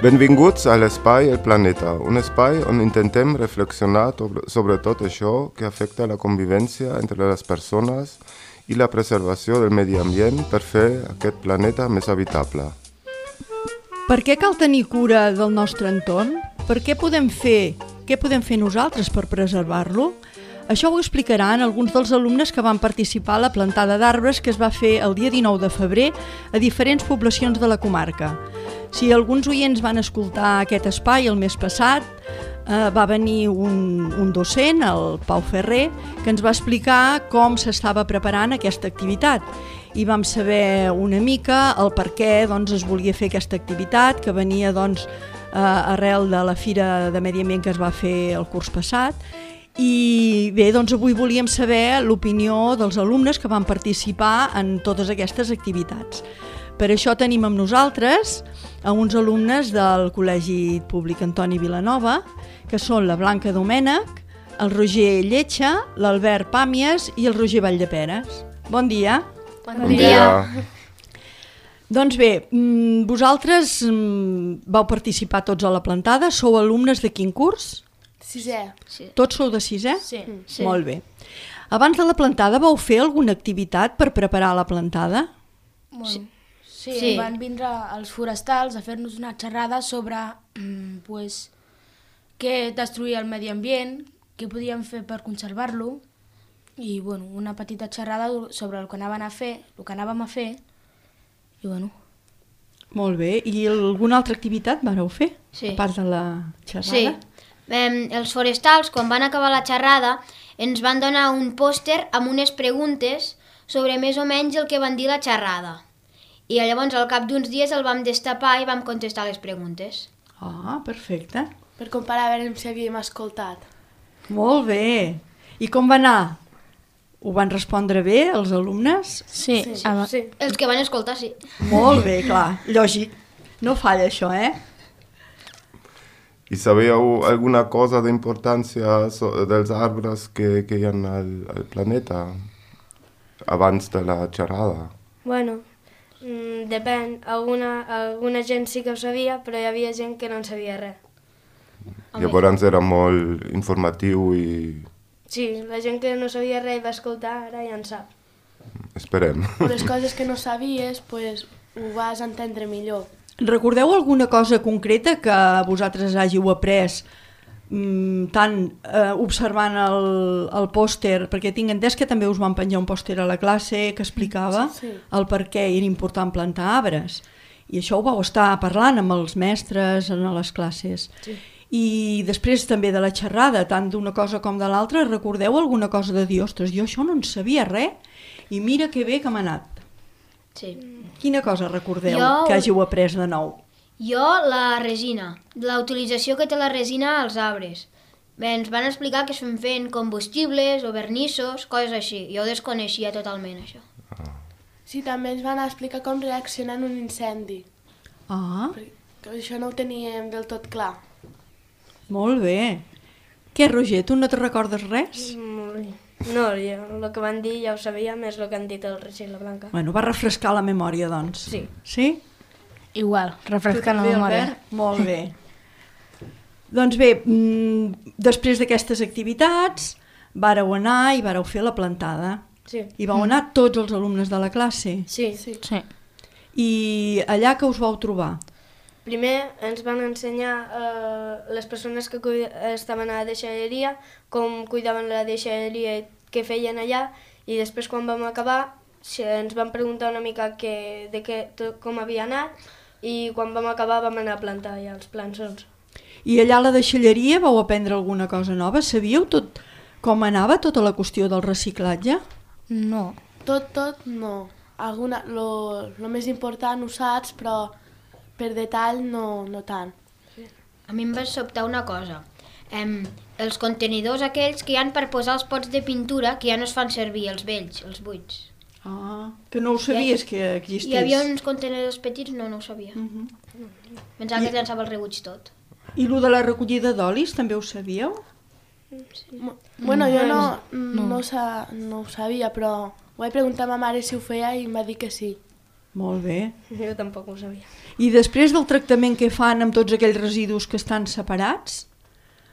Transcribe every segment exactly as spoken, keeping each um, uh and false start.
Benvinguts a l'Espai El Planeta, un espai on intentem reflexionar sobre tot això que afecta la convivència entre les persones i la preservació del medi ambient per fer aquest planeta més habitable. Per què cal tenir cura del nostre entorn? Per què podem fer, què podem fer nosaltres per preservar-lo? Això ho explicaran alguns dels alumnes que van participar a la plantada d'arbres que es va fer el dia dinou de febrer a diferents poblacions de la comarca. Si alguns oients van escoltar aquest espai el mes passat, eh, va venir un, un docent, el Pau Ferrer, que ens va explicar com s'estava preparant aquesta activitat. I vam saber una mica el per què doncs, es volia fer aquesta activitat, que venia doncs, eh, arrel de la Fira de Medi Ambient que es va fer el curs passat. I bé, doncs avui volíem saber l'opinió dels alumnes que van participar en totes aquestes activitats. Per això tenim amb nosaltres a uns alumnes del Col·legi Públic Antoni Vilanova, que són la Blanca Domènech, el Roger Lletja, l'Albert Pàmies i el Roger Valldeperes. Bon dia. Bon, bon dia. dia. Doncs bé, vosaltres vau participar tots a la plantada, sou alumnes de quin curs? Sisè. Sí. Tots sou de sisè? Sí. sí. Molt bé. Abans de la plantada vau fer alguna activitat per preparar la plantada? Bueno, sí. Sí, sí, van vindre els forestals a fer-nos una xerrada sobre mm, pues, què destruïa el medi ambient, què podíem fer per conservar-lo i bueno, una petita xerrada sobre el que anaven a fer, el que anàvem a fer i bueno. Molt bé. I alguna altra activitat vareu fer? Sí. A part de la xerrada? Sí. Eh, els forestals, quan van acabar la xerrada, ens van donar un pòster amb unes preguntes sobre més o menys el que van dir la xerrada. I llavors al cap d'uns dies el vam destapar i vam contestar les preguntes. Ah, perfecte. Per comparar a veure si havíem escoltat. Molt bé. I com va anar? Ho van respondre bé els alumnes? Sí. sí, sí. sí. Els que van escoltar, sí. Molt bé, clar. Lògic. No falla això, eh? I sabíeu alguna cosa d'importància dels arbres que, que hi ha al, al planeta abans de la xerrada? Bueno, mm, depèn. Alguna, alguna gent sí que ho sabia, però hi havia gent que no en sabia res. Llavors era molt informatiu i... Sí, la gent que no sabia res i va escoltar, ara ja en sap. Esperem. Les coses que no sabies, pues, ho vas entendre millor. Recordeu alguna cosa concreta que vosaltres hàgiu après mmm, tant eh, observant el, el pòster, perquè tinc entès que també us van penjar un pòster a la classe que explicava sí, sí. el per què era important plantar arbres. I això ho vau estar parlant amb els mestres en les classes. Sí. I després també de la xerrada, tant d'una cosa com de l'altra, recordeu alguna cosa de dir, ostres, jo això no en sabia res i mira que bé que m'ha anat. Sí. Quina cosa recordeu jo, que hàgiu après de nou? Jo, la resina, la utilització que té la resina als arbres. Bé, ens van explicar que estem fent combustibles o vernissos, coses així. Jo ho desconeixia totalment, això. Sí, també ens van explicar com reaccionar en un incendi. Ah. Perquè això no ho teníem del tot clar. Molt bé. Què, Roger, tu no te recordes res? Mm, no, jo, el que van dir ja ho sabia, més el que han dit el Roger i la Blanca. Bueno, va refrescar la memòria, doncs. Sí. Sí? Igual, refrescant la Bé, memòria. Albert? Molt bé. Doncs bé, mmm, després d'aquestes activitats, vàreu anar i vàreu fer la plantada. Sí. I vau anar tots els alumnes de la classe. Sí. Sí. Sí. I allà que us vau trobar? Primer ens van ensenyar eh, les persones que cuida, estaven a la deixalleria, com cuidaven la deixalleria i què feien allà, i després quan vam acabar ens van preguntar una mica que, de què, com havia anat, i quan vam acabar vam anar a plantar ja els plançons. I allà a la deixalleria vau aprendre alguna cosa nova? Sabíeu tot com anava tota la qüestió del reciclatge? No. Tot, tot, no. Alguna, lo, lo més important ho saps, però per detall no, no tant. A mi em va sobtar una cosa. Em, els contenidors aquells que hi han per posar els pots de pintura que ja no es fan servir, els vells, els buits. Ah, que no ho sabies que existís. Hi havia uns contenidors petits, no, no ho sabia. Uh-huh. Pensava I... que es llançava el rebuig tot. I lo de la recollida d'olis també ho sabíeu? Sí. Bueno, jo no, no, no, sa, no ho sabia, però ho vaig preguntar a ma mare si ho feia i em va dir que sí. Molt bé. Jo tampoc ho sabia. I després del tractament que fan amb tots aquells residus que estan separats,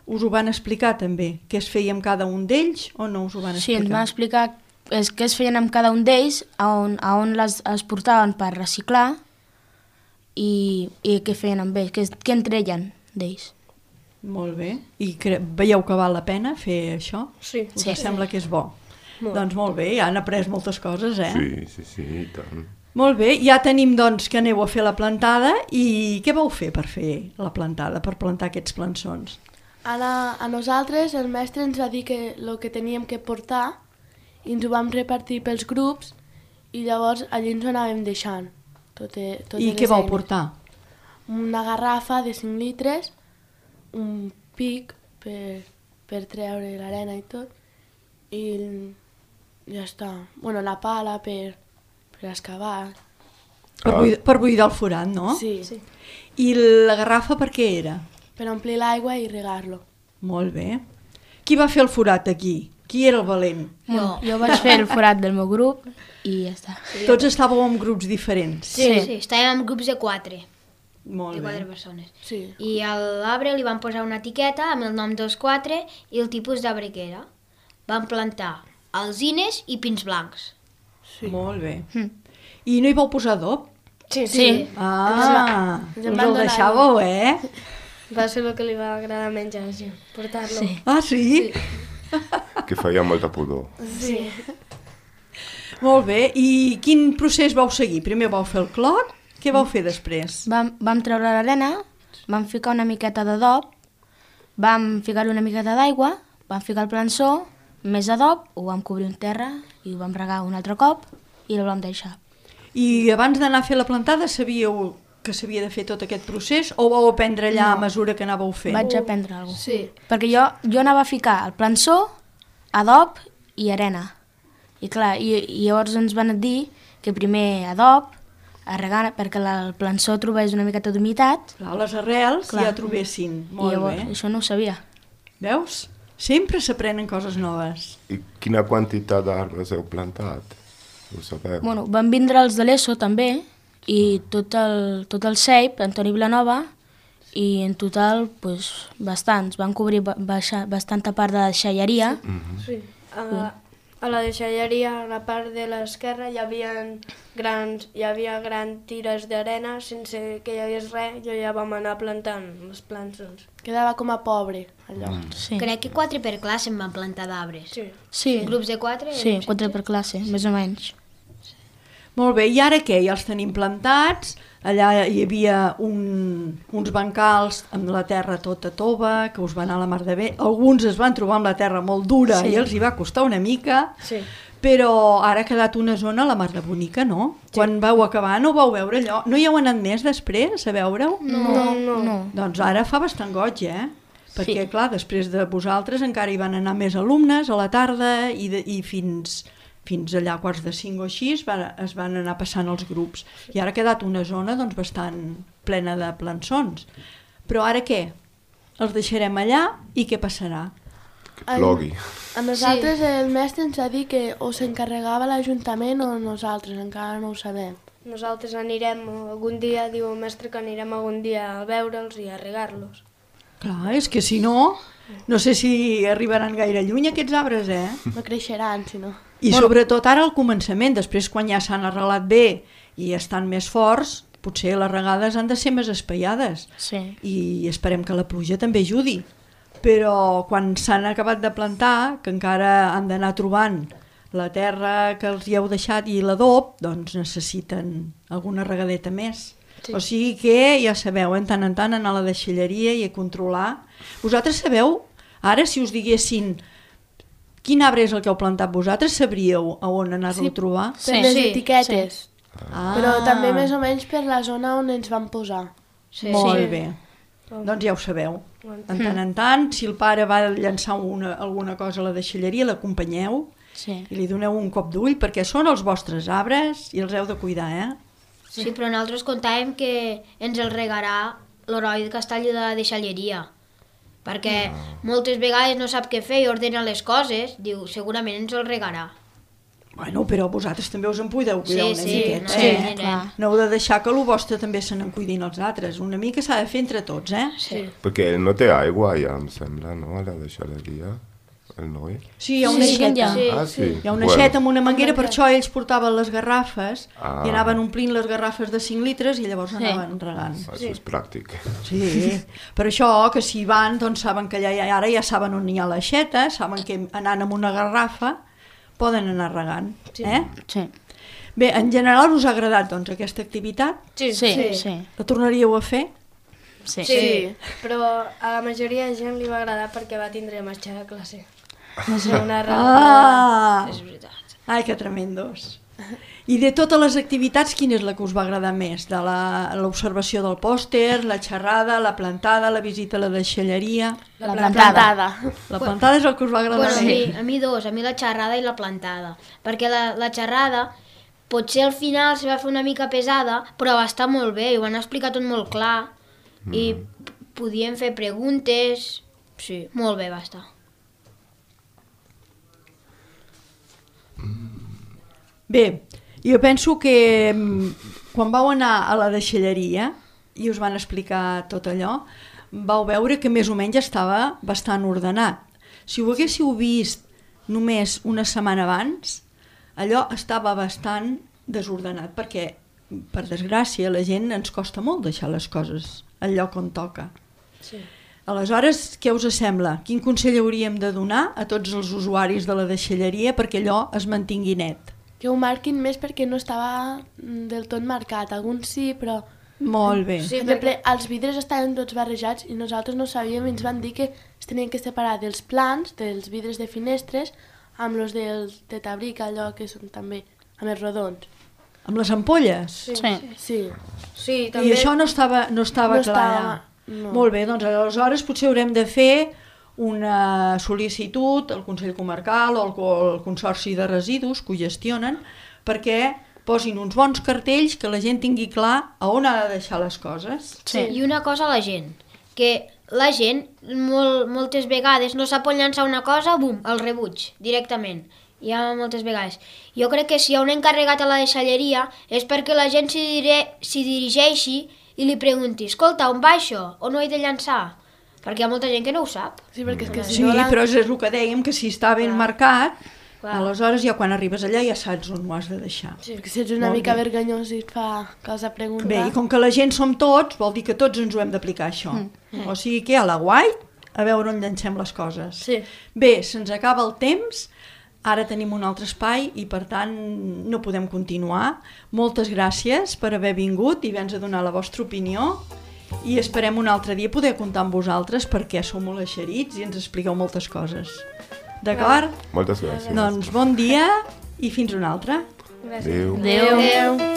us ho van explicar també? Què es feia amb cada un d'ells o no us ho van Sí, explicar? ens van explicar és, què es feien amb cada un d'ells, a on, a on les, es portaven per reciclar i, i què feien amb ells, què, què en treien d'ells. Molt bé. I cre veieu que val la pena fer això? Sí. Us Sí. sembla que és bo? Molt. Doncs molt bé, ja han après moltes coses, eh? Sí, sí, sí, i tant. Molt bé, ja tenim doncs que aneu a fer la plantada i què vau fer per fer la plantada, per plantar aquests plançons? Ara, a nosaltres el mestre ens va dir que el que teníem que portar i ens ho vam repartir pels grups i llavors allí ens ho anàvem deixant. Totes, totes I les què vau eines. portar? Una garrafa de cinc litres, un pic per, per treure l'arena i tot, i ja està. Bueno, la pala per, per excavar. Per, Ah. buidar, per buidar el forat, no? Sí, sí. I la garrafa per què era? Per omplir l'aigua i regar-lo. Molt bé. Qui va fer el forat aquí? Qui era el valent? Bueno, jo vaig fer el forat del meu grup i ja està. Tots estàveu en grups diferents. Sí, sí, sí, estàvem en grups de quatre, Molt de quatre bé. persones. Sí. I a l'arbre li van posar una etiqueta amb el nom dels quatre i el tipus d'arbre que era. Van plantar alzines i pins blancs. Sí. Molt bé. Mm. I no hi vau posar adob? Sí, Sí. Ah, ens us en el van donar deixàveu, eh? Va ser el que li va agradar menys a gent, portar-lo. Sí. Ah, sí? Que feia molta pudor. Sí. Molt bé. I quin procés vau seguir? Primer vau fer el clot, què vau fer després? Vam, vam treure l'arena, vam ficar una miqueta d'adob, vam ficar una miqueta d'aigua, vam ficar el plançó, més adob, ho vam cobrir en terra i ho vam regar un altre cop i el vam deixar. I abans d'anar a fer la plantada sabíeu que s'havia de fer tot aquest procés o vau aprendre allà a mesura que anàveu fent? Vaig aprendre alguna cosa. Sí. Perquè jo, jo anava a ficar el plançó, adob i arena. I clar, i, i llavors ens van dir que primer adob, a regar perquè la, el plançó trobés una miqueta d'humitat. Clar, les arrels Clar. ja trobessin. I Molt llavors bé. això no ho sabia. Veus? Sempre s'aprenen coses noves. I quina quantitat d'arbres heu plantat? Ho sabeu? Bueno, van vindre els de l'ESO també, i tot el, tot el C E I P, Antoni Vilanova, i en total pues, bastants. Van cobrir ba baixa, bastanta part de la deixalleria. Sí. A la, a la deixalleria, a la part de l'esquerra, hi havia grans, hi havia grans tires d'arena, sense que hi hagués res, jo ja vam anar plantant els plançons. Quedava com a pobre, allò. Mm. Sí, Crec que quatre per classe en van plantar d'arbres. Sí. sí, Grups de quatre? sí, quatre per classe, més o menys. Molt bé, i ara què? Ja els tenim plantats, allà hi havia un, uns bancals amb la terra tota tova, que us va anar a la mar de bé. Alguns es van trobar amb la terra molt dura Sí. i els hi va costar una mica, Sí. però ara ha quedat una zona a la mar de bonica, no? Sí. Quan vau acabar no vau veure allò. No hi heu anat més després a veure-ho? No, no. no. Doncs ara fa bastant goig, eh? Perquè, Sí. clar, després de vosaltres encara hi van anar més alumnes a la tarda i, de, i fins, fins allà a quarts de cinc o així es van, es van anar passant els grups. I ara ha quedat una zona doncs, bastant plena de plançons. Però ara què? Els deixarem allà i què passarà? Que plogui. A nosaltres sí. El mestre ens va dir que o s'encarregava l'Ajuntament o nosaltres, encara no ho sabem. Nosaltres anirem algun dia, diu el mestre que anirem algun dia a veure'ls i a regar-los. Clar, és que si no, no sé si arribaran gaire lluny aquests arbres, eh? No creixeran, si no. I sobretot ara al començament, després quan ja s'han arrelat bé i estan més forts, potser les regades han de ser més espaiades. Sí. I esperem que la pluja també ajudi. Però quan s'han acabat de plantar, que encara han d'anar trobant la terra que els hi heu deixat i l'adob, doncs necessiten alguna regadeta més. Sí. O sigui que, ja sabeu, en tant en tant anar a la deixalleria i a controlar. Vosaltres sabeu, ara si us diguessin quin arbre és el que heu plantat vosaltres, sabríeu a on anar-lo Sí. a trobar? Per Sí. les Sí, etiquetes. Ah, Però també més o menys per la zona on ens van posar. Sí. Molt Sí. bé. Doncs ja ho sabeu. En tant en tant, si el pare va llançar una, alguna cosa a la deixalleria, l'acompanyeu Sí. i li doneu un cop d'ull, perquè són els vostres arbres i els heu de cuidar, eh? Sí, però nosaltres contàvem que ens el regarà l'heroi de Castall de la deixalleria. Perquè moltes vegades no sap què fer i ordena les coses, diu, segurament ens el regarà. Bueno, però vosaltres també us en podeu cuidar Sí, una sí, miqueta, sí, eh? clar. No heu de deixar que el vostre també se n'encuidin els altres. Una mica s'ha de fer entre tots, eh? Sí. Perquè ell no té aigua ja, em sembla, no? A la deixalleria, el noi. Sí, hi ha una Sí, aixeta. sí. Ah, sí? Hi ha una aixeta amb una manguera, per això ells portaven les garrafes Ah. i anaven omplint les garrafes de cinc litres i llavors anaven regant. Això és pràctic. Sí, per això que si van, doncs saben que allà, ara ja saben on hi ha l'aixeta, saben que anant amb una garrafa poden anar regant, eh? Sí. Bé, en general us ha agradat doncs aquesta activitat? Sí, Sí. sí. sí. La tornaríeu a fer? sí. Sí, però a la majoria de gent li va agradar perquè va tindre marxa de classe. Va ser una Ah! És veritat. Ai, que tremendos. I de totes les activitats, quina és la que us va agradar més? De la- l'observació del pòster, la xerrada, la plantada, la visita a la deixalleria... La Plantada. La plantada és el que us va agradar Bueno, a més. mi, a mi dos, a mi la xerrada i la plantada. Perquè la, la xerrada, potser al final se va fer una mica pesada, però va estar molt bé, i ho van explicar tot molt clar, i p- podíem fer preguntes... Sí, molt bé va estar. Bé, jo penso que mm, quan vau anar a la deixalleria i us van explicar tot allò, vau veure que més o menys estava bastant ordenat. Si ho haguéssiu vist només una setmana abans, allò estava bastant desordenat, perquè, per desgràcia, a la gent ens costa molt deixar les coses al lloc on toca. Sí. Aleshores, què us sembla? Quin consell hauríem de donar a tots els usuaris de la deixalleria perquè allò es mantingui net? Que ho marquin més perquè no estava mm, del tot marcat. Alguns sí, però... Molt bé. Sí, Per exemple, els vidres estaven tots barrejats i nosaltres no sabíem i ens van dir que es tenien que separar dels plans, dels vidres de finestres, amb els del tetabric, allò que són també, amb els rodons. Amb les ampolles? Sí. Sí. Sí. Sí, I també... això no estava, no estava No clar. estava- no. Molt bé, doncs aleshores potser haurem de fer una sol·licitud al Consell Comarcal o al, o al Consorci de Residus que ho gestionen perquè posin uns bons cartells que la gent tingui clar a on ha de deixar les coses. Sí. I una cosa a la gent, que la gent molt, moltes vegades no sap on llançar una cosa, bum, el rebuig, directament. Hi ha moltes vegades. Jo crec que si hi ha un encarregat a la deixalleria és perquè la gent s'hi dire, s'hi dirigeixi i li pregunti, escolta, on va això? On ho he de llançar? Perquè hi ha molta gent que no ho sap. Sí, perquè és que si Sí, no... la- però és el que dèiem, que si està ben marcat, Clar. aleshores ja quan arribes allà ja saps on ho has de deixar. Sí, perquè si ets una Molt mica bé. vergonyós i et fa cosa preguntar... Bé, i com que la gent som tots, vol dir que tots ens ho hem d'aplicar, això. Mm. O sigui que a la guai, a veure on llancem les coses. Sí. Bé, se'ns acaba el temps, ara tenim un altre espai i per tant no podem continuar. Moltes gràcies per haver vingut i haver-nos a donar la vostra opinió i esperem un altre dia poder comptar amb vosaltres perquè sou molt eixerits i ens expliqueu moltes coses. D'acord? Moltes gràcies. Doncs bon dia i fins un altre. Gràcies. Adéu. Adéu. Adéu.